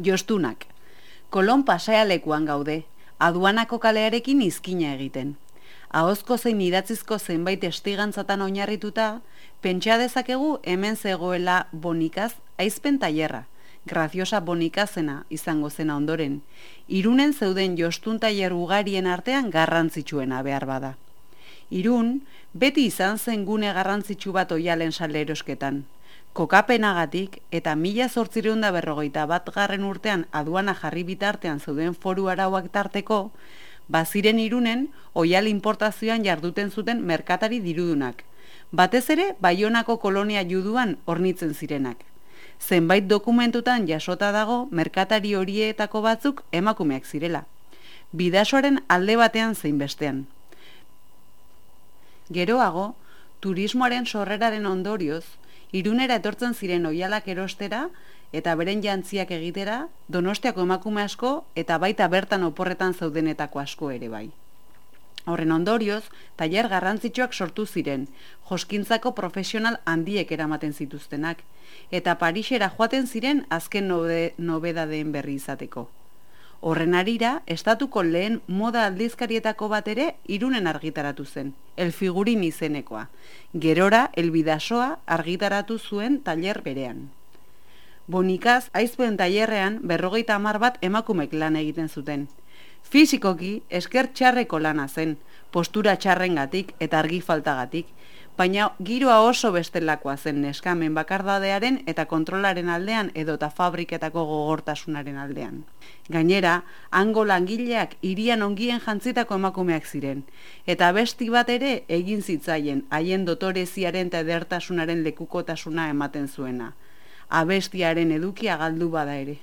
Jostunak. Kolon pasealekuan gaude, aduanako kalearekin izkina egiten. Ahozko zein idatzizko zenbait estigantzatan oinarrituta, pentsa dezakegu hemen zegoela Bonikaz aizpen tailerra, Graziosa Bonikazena izango zena ondoren, Irunen zeuden jostun tailer ugarien artean garrantzitsuena behar bada. Irun, beti izan zen gune garrantzitsu bat oialen salerosketan. Kokapenagatik eta 1851 urtean aduana jarri bitartean zeuden foru arauak tarteko, baziren Irunen oial importazioan jarduten zuten merkatari dirudunak, batez ere Baionako kolonia juduan hornitzen zirenak. Zenbait dokumentutan jasota dago merkatari horietako batzuk emakumeak zirela, bidasoaren alde batean zein bestean. Geroago, turismoaren sorreraren ondorioz, Irunera etortzen ziren oialak erostera eta beren jantziak egitera, Donostiako emakume asko eta baita bertan oporretan zeudenetako asko ere bai. Horren ondorioz, tailer garrantzitsuak sortu ziren, joskintzako profesional handiek eramaten zituztenak, eta Parisera joaten ziren azken nobedadeen berri izateko. Horren harira, estatuko lehen moda aldizkarietako bat ere Irunen argitaratu zen, El Figurin izenekoa. Gerora, El Bidasoa argitaratu zuen tailer berean. Bonikaz aizpen tailerrean 50 bat emakumek lan egiten zuten. Fisikoki esker txarreko lana zen, postura txarrengatik eta argi faltagatik, baina giroa oso bestelakoa zen neskamen bakardadearen eta kontrolaren aldean edota fabriketako gogortasunaren aldean. Gainera, hango langileak hirian ongien jantzitako emakumeak ziren, eta besti bat ere egin zitzaien haien dotoreziaren eta edertasunaren lekukotasuna ematen zuena. Abestiaren edukia galdu bada ere.